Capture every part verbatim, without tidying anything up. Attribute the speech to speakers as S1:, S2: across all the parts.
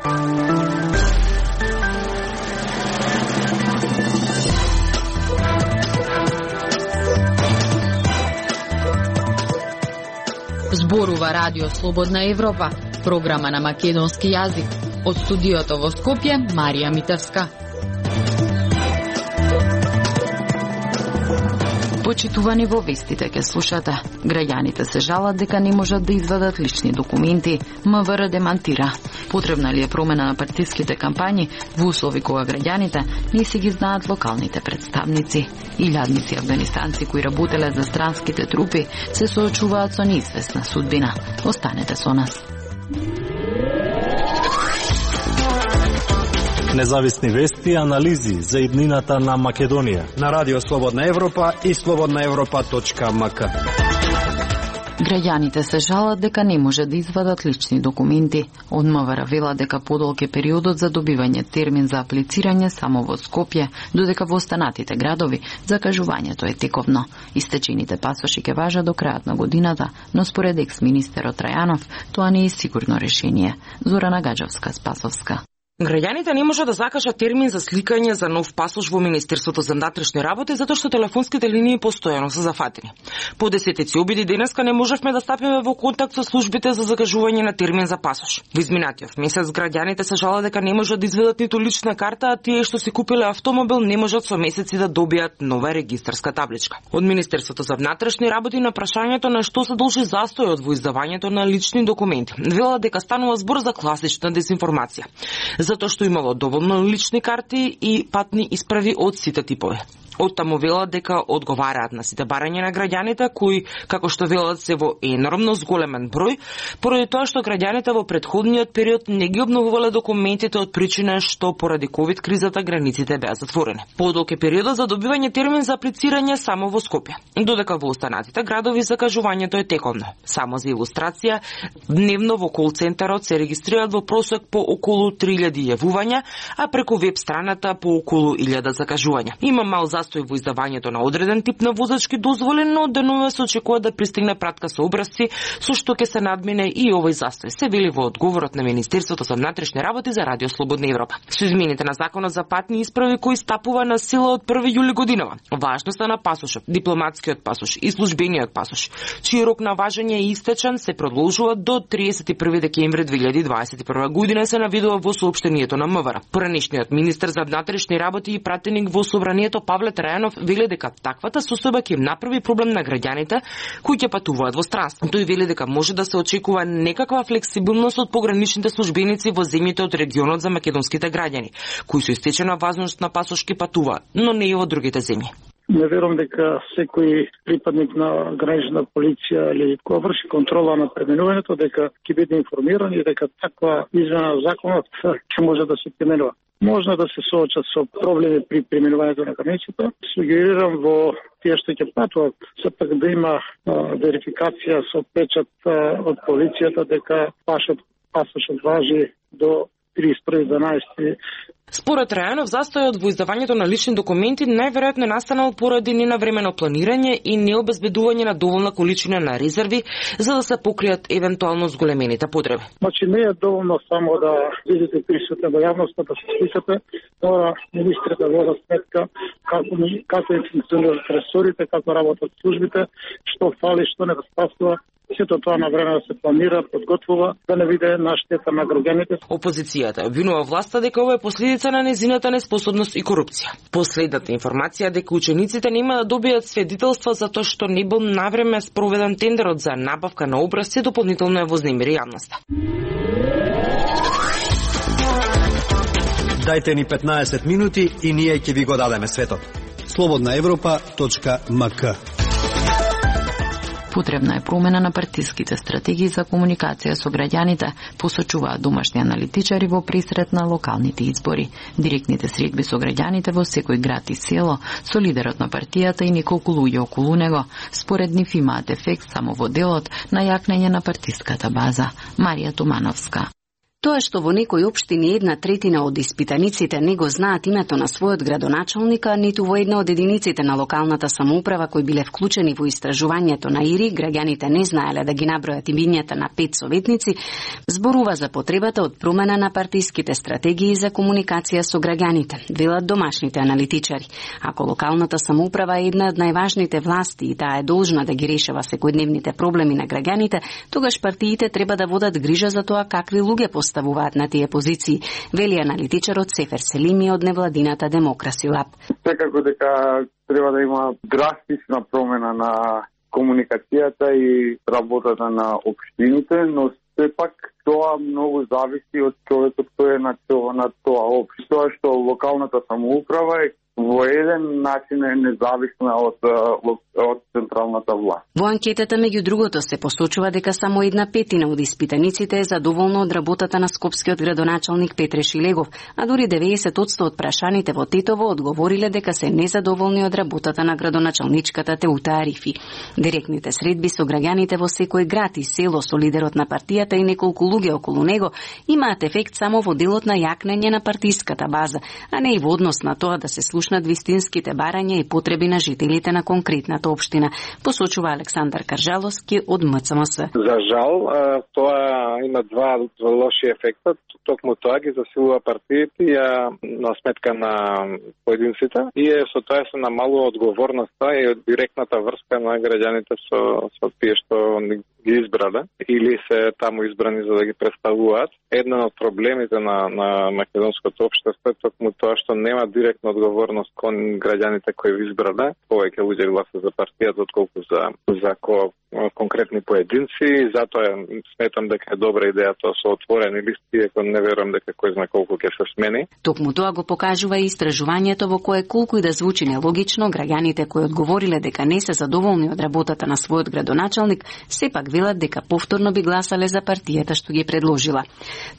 S1: Зборува Радио Слободна Европа, програма на македонски јазик. Од студиото во Скопје, Марија Митевска. Почитувани, во вестите ке слушате. Граѓаните се жалат дека не можат да извадат лични документи. МВР демантира. Потребна ли е промена на партиските кампањи во услови кога граѓаните не си ги знаат локалните представници? Илјадници афганистанци кои работеле за странските трупи се соочуваат со неизвестна судбина. Останете со нас.
S2: Независни вести и анализи за иднината на Македонија
S3: на Радио Слободна Европа и слободна европа точка ем ка.
S1: Граѓаните се жалат дека не може да извадат лични документи. Од МВР вела дека подолг е периодот за добивање термин за аплицирање само во Скопје, додека во останатите градови закажувањето е тековно. Истечените пасоши ќе важат до крајот на годината, но според екс-министерот Трајанов тоа не е сигурно решение. Зорана Гаджовска-Спасовска.
S4: Граѓаните не можат да закажат термин за сликање за нов пасош во Министерството за внатрешни работи затоа што телефонските линии постојано се зафатени. По десетици обиди денеска не можевме да стапиме во контакт со службите за закажување на термин за пасош. Во изминатиот месец граѓаните се жалат дека не можат да изведат ниту лична карта, а тие што си купиле автомобил не можат со месеци да добијат нова регистарска табличка. Од Министерството за внатрешни работи на прашањето на што се должи застојот во издавањето на лични документи, велат дека станува збор за класична дезинформација, затоа што имало доволно лични карти и патни исправи од сите типови. Оттаму велат дека одговараат на сите барања на граѓаните кои, како што велат, се во енормно зголемен број, поради тоа што граѓаните во претходниот период не ги обновувале документите од причина што поради ковид кризата границите беа затворени. Подолг е периодот за добивање термин за аплицирање само во Скопје, додека во останатите градови закажувањето е тековно. Само за илустрација, дневно во кол центарот се регистрираат во просек по околу три илјади јавувања, а преку веб страната по околу илјада закажувања. Има мал застој во издавањето на одреден тип на возачки дозволи, но денове се очекува да пристигне пратка со образци со што ќе се надмине и овој застој, се вели во одговорот на Министерството за внатрешни работи за Радио Слободна Европа. Со измените на законот за патни исправи кои стапува на сила од први јули годинава, важноста на пасошот, дипломатскиот пасош и службениот пасош, чиј рок на важење е истечен, се продолжува до триесет и први декември две илјади дваесет и прва година, се навидува во соопштението на МВР. Поранешниот министер за внатрешни работи и пратеник во собранието Павле Трајанов вели дека таквата состојба ќе им направи проблем на граѓаните кои ќе патуваат во странство. Тој вели дека може да се очекува некаква флексибилност од пограничните службеници во земјите од регионот за македонските граѓани, кои со истечена важност на пасош ќе патуваат, но не и во другите земји.
S5: Не верувам дека секој припадник на гранична полиција или кој врши контрола на преминувањето дека ќе биде информиран и дека таква измена на законот ќе може да се применува. Можно да се соочат со проблеми при преминувањето на границата. Сугерирам во тие што ќе патуваат, сепак да има а, верификација со печат а, од полицијата дека пасошот важи до триесет и први деветнаесети.
S4: Според Трајанов, застојот во издавањето на лични документи најверојатно настанал поради ненавремено планирање и необезбедување на доволна количина на резерви за да се покријат евентуално зголемените потреби.
S5: Значи не е доволно само да видите присутни во јавноста, да се сликате, мора министрите да водат сметка како како функционираат ресорите, како работат службите, што фали, што недостасува. Сето тоа на време да се планира, подготвува, да не биде на штета на граѓаните.
S4: Опозицијата обвинува власта дека ова е последица на незината неспособност и корупција. Последната информација дека учениците нема да добијат сведетелства за тоа што не бил навреме спроведен тендерот за набавка на образци, дополнително е вознемири јавноста.
S3: Дајте ни петнаесет минути и ние ќе ви го дадеме светот. слободна европа точка ем ка.
S1: Потребна е промена на партиските стратегии за комуникација со граѓаните, посочуваат домашни аналитичари во пресрет на локалните избори. Директните средби со граѓаните во секој град и село, со лидерот на партијата и неколку луѓе околу него, според нив имаат ефект само во делот на јакнење на партиската база. Марија Тумановска.
S6: Тоа што во некои општини една третина од испитаниците не го знаат името на својот градоначалника, ниту во една од единиците на локалната самоуправа кои биле вклучени во истражувањето на ИРИ, граѓаните не знаеле да ги набројат имињата на пет советници, зборува за потребата од промена на партиските стратегии за комуникација со граѓаните, велат домашните аналитичари. Ако локалната самоуправа е една од најважните власти и таа е должна да ги решава секојдневните проблеми на граѓаните, тогаш партиите треба да водат грижа за тоа какви луѓе поставуваат на тие позиции, вели аналитичарот Сефер Селими од невладината Демокраси Лаб.
S7: Секако дека треба да има драстична промена на комуникацијата и работата на општините, но сепак тоа многу зависи од човекот кој е на тоа, на тоа општина. Тоа што локалната самоуправа е во еден начин е независна од, од, од централната власт.
S6: Во анкетата, меѓу другото, се посочува дека само една петина од испитаниците е задоволна од работата на скопскиот градоначалник Петре Шилегов, а дури деветдесет одсто од прашаните во Тетово одговориле дека се незадоволни од работата на градоначалничката Теута Арифи. Директните средби со граѓаните во секој град и село со лидерот на партијата и неколку луѓе околу него имаат ефект само во делот на јакнење на партиската база, а не и во однос на тоа да се слушнат вистинските барања и потреби на жителите на конкретната општина, посочува Александар Каржаловски од М Ц М С.
S8: За жал, тоа има два лоши ефекта. Токму тоа ги засилува партиите на сметка на поединците и е со тоа се намалува одговорноста и директната врска на граѓаните со, со тие што ги избрале или се таму избрани за да ги представуваат. Еден од проблемите на, на македонското општество е токму тоа што нема директна одговорност кон граѓаните кои ви избрале. Повеќе луѓе гласат за партијата отколку за, за ко, конкретни поединци и затоа сметам дека е добра идеја тоа со отворени листи, иако не верувам дека кој знае колку ќе се смени.
S6: Токму тоа го покажува и истражувањето во кое колку и да звучи нелогично, граѓаните кои одговориле дека не се задоволни од работата на својот градоначалник, сепак велат дека повторно би гласале за партијата што ги предложила.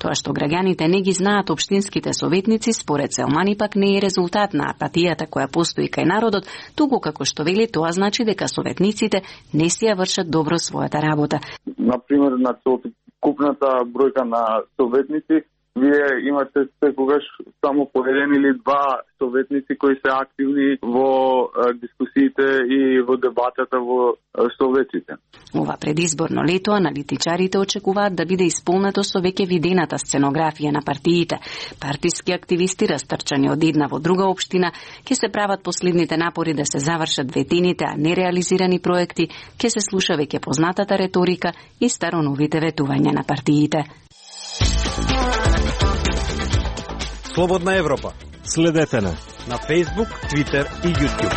S6: Тоа што граѓаните не ги знаат општинските советници, според Селмани пак не е резултат на апатијата која постои кај народот, туку како што вели тоа значи дека советниците не си ја вршат добро својата работа.
S7: Например, на купната бројка на советници, вие имате секогаш само по еден или два советници кои се активни во дискусиите и во дебатата во советите.
S6: Ова предизборно лето аналитичарите очекуваат да биде исполнето со веќе видената сценографија на партиите. Партиски активисти растрчани од една во друга општина ќе се прават последните напори да се завршат ветените, а нереализирани проекти, ќе се слуша веќе познатата реторика и староновите ветувања на партиите.
S3: Слободна Европа.
S2: Следете на
S3: на Facebook, Twitter и YouTube.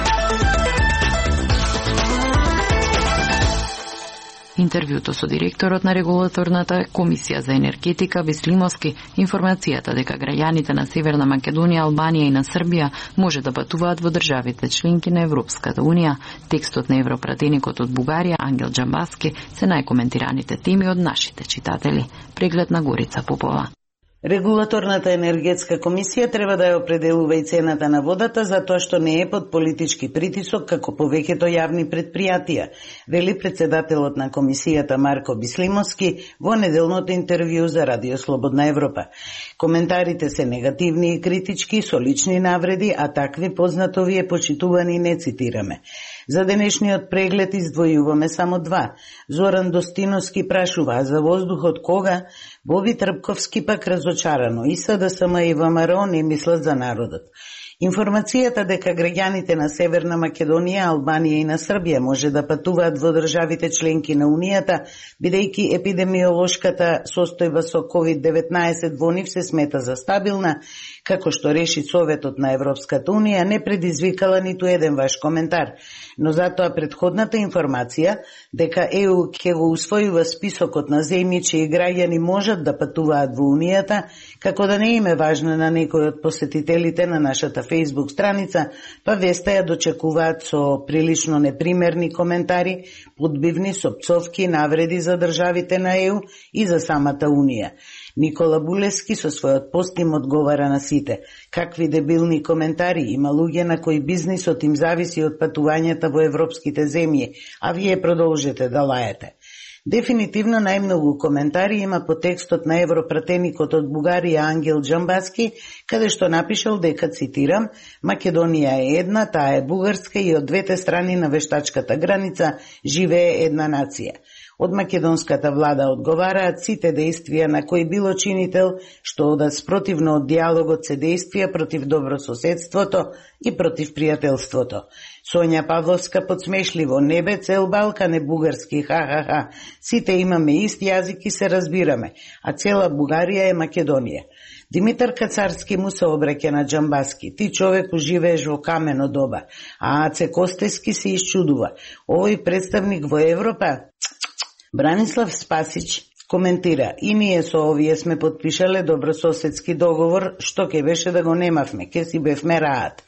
S1: Интервјуто со директорот на регулаторната комисија за енергетика Бислимовски, информацијата дека граѓаните на Северна Македонија, Албанија и на Србија може да патуваат во државите членки на Европската унија, текстот на европратеникот од Бугарија Ангел Џамбаски се најкоментираните теми од нашите читатели. Преглед на Горица Попова.
S9: Регулаторната енергетска комисија треба да ја определува и цената на водата затоа што не е под политички притисок како повеќето јавни претпријатија, вели председателот на комисијата Марко Бислимовски во неделното интервју за Радио Слободна Европа. Коментарите се негативни и критички со лични навреди, а такви познато ви е почитувани не цитираме. За денешниот преглед издвојуваме само два. Зоран Достиновски прашува за воздухот кога, Боби Трпковски пак разочарано. И СДСМ и ВМРО не мислат за народот. Информацијата дека граѓаните на Северна Македонија, Албанија и на Србија може да патуваат во државите членки на Унијата, бидејќи епидемиолошката состојба со ковид деветнаесет во нив се смета за стабилна, како што реши Советот на Европската Унија, не предизвикала ниту еден ваш коментар. Но затоа предходната информација дека Е У ќе го усвојува списокот на земји чии граѓани можат да патуваат во Унијата, како да не им е важна на некој од посетителите на нашата Facebook страница, па веста ја дочекуваат со прилично непримерни коментари, подбивни со пцовки, навреди за државите на Е У и за самата Унија. Никола Булевски со својот пост им одговара на сите. Какви дебилни коментари, има луѓе на кои бизнисот им зависи од патувањата во европските земји, а вие продолжете да лаете. Дефинитивно најмногу коментари има по текстот на европратеникот од Бугарија Ангел Џамбаски, каде што напишал дека, цитирам, Македонија е една, таа е бугарска и од двете страни на вештачката граница живее една нација. Од македонската влада одговараат сите дејствија на кој било чинител што одат спротивно од диалогот се дејствија против добрососедството и против пријателството. Сонја Павловска подсмешливо: не бе цел Балкан е бугарски, ха-ха-ха. Сите имаме ист јазик и се разбираме, а цела Бугарија е Македонија. Димитар Кацарски му се обраќа на Џамбаски: ти човеку живееш во камено доба, а Аце Костески се исчудува: овој представник во Европа? Бранислав Спасич коментира: и ние со овие сме подпишале добрососедски договор, што ќе беше да го немавме, ке си бевме раат.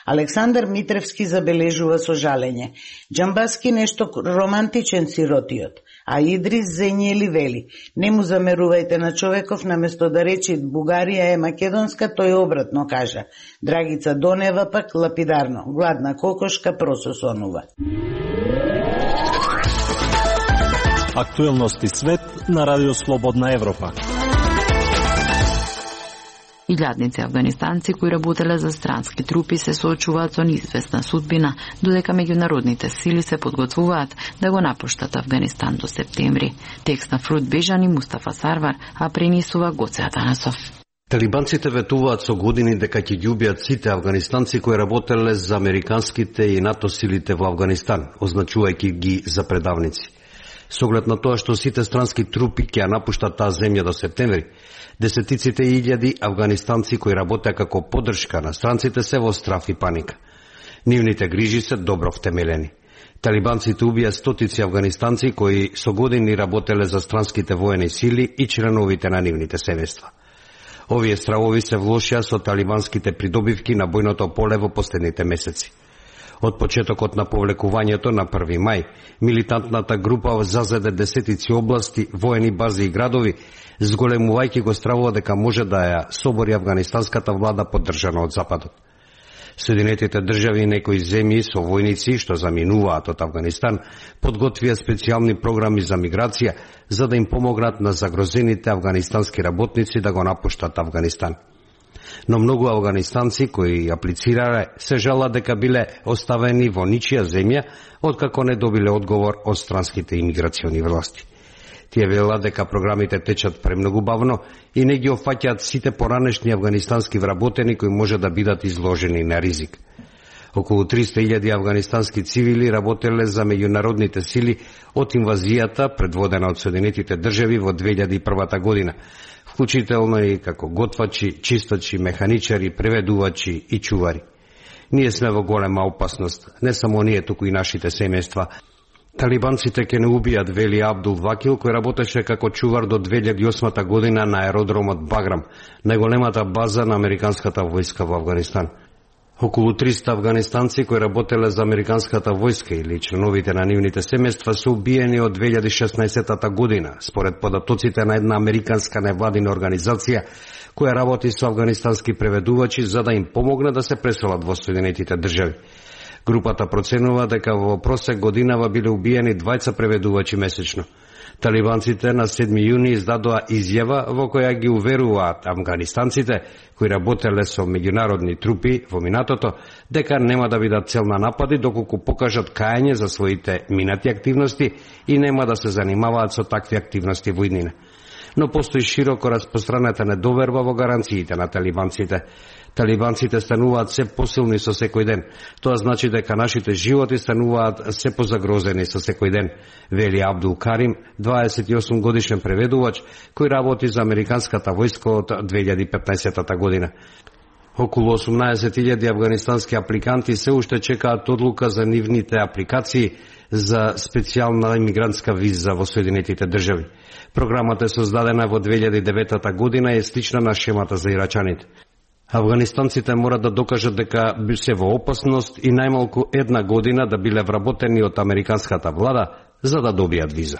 S9: Александар Митревски забележува со жалење: Џамбаски нешто романтичен сиротиот, а Идрис Зењели вели: не му замерувајте на човеков, наместо да рече Бугарија е македонска, тој обратно кажа. Драгица Донева пак лапидарно: гладна кокошка прососонува.
S2: Актуелности свет на Радио Слободна Европа.
S1: Илјадници афганистанци кои работеле за странски трупи се соочуваат со неизвестна судбина, додека меѓународните сили се подготвуваат да го напуштат Афганистан до септември. Текст на Фрут Бежан и Мустафа Сарвар, а пренесува Гоце Атанасов.
S10: Талибанците ветуваат со години дека ќе ги убијат сите афганистанци кои работеле за американските и НАТО силите во Афганистан, означувајќи ги за предавници. Со оглед на тоа што сите странски трупи ќе ја напуштат таа земја до септември, десетиците и илјади афганистанци кои работеа како поддршка на странците се во страф и паника. Нивните грижи се добро втемелени. Талибанците убија стотици афганистанци кои со години работеле за странските воени сили и членовите на нивните семејства. Овие стравови се влошија со талибанските придобивки на бојното поле во последните месеци. Од почетокот на повлекувањето на први мај, милитантната група зазеде десетици области, воени бази и градови, зголемувајќи го стравува дека може да ја собори афганистанската влада поддржана од Западот. Соединетите држави и некои земји со војници што заминуваат од Афганистан подготвија специјални програми за миграција за да им помогнат на загрозените афганистански работници да го напуштат Афганистан. Но многу афганистанци кои аплицирале се жалат дека биле оставени во ничија земја откако не добиле одговор од странските имиграциони власти. Тие велат дека програмите течат премногу бавно и не ги опфаќаат сите поранешни афганистански вработени кои може да бидат изложени на ризик. Околу триста илјади афганистански цивили работеле за меѓународните сили од инвазијата предводена од Соединетите држави во две илјади и прва година, вклучително и како готвачи, чистачи, механичари, преведувачи и чувари. Ние сме во голема опасност, не само ние, туку и нашите семејства. Талибанците ќе не убијат, вели Абдул Вакил, кој работеше како чувар до две илјади и осма година на аеродромот Баграм, најголемата база на американската војска во Афганистан. Околу триста афганистанци кои работеле за американската војска или членовите на нивните семејства се убиени од две илјади и шеснаесета година, според податоците на една американска невладина организација која работи со афганистански преведувачи за да им помогне да се преселат во Соединетите држави. Групата проценува дека во просек годинава биле убиени двајца преведувачи месечно. Талибанците на седми јуни издадоа изјава во која ги уверуваат афганистанците кои работеле со меѓународни трупи во минатото дека нема да бидат цел на напади доколку покажат кајање за своите минати активности и нема да се занимаваат со такви активности во иднина. Но постои широко распространета недоверба во гаранциите на талибанците. Талибанците стануваат се посилни со секој ден. Тоа значи дека нашите животи стануваат се позагрозени со секој ден, вели Абдул Карим, дваесет и осум годишен преведувач кој работи за американската војска од две илјади и петнаесета година. Околу осумнаесет илјади афганистански апликанти се уште чекаат одлука за нивните апликации за специјална имигрантска виза во Соединетите држави. Програмата е создадена во две илјади и девета година и е слична на шемата за ирачаните. Афганистанците морат да докажат дека се во опасност и најмалку една година да биле вработени од американската влада за да добијат виза.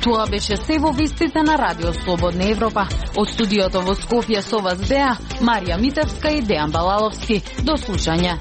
S1: Тоа беше се во вестите на Радио Слободна Европа. Од студиото во Скопје со вас беа Марија Митевска и Дејан Балаловски. До слушање.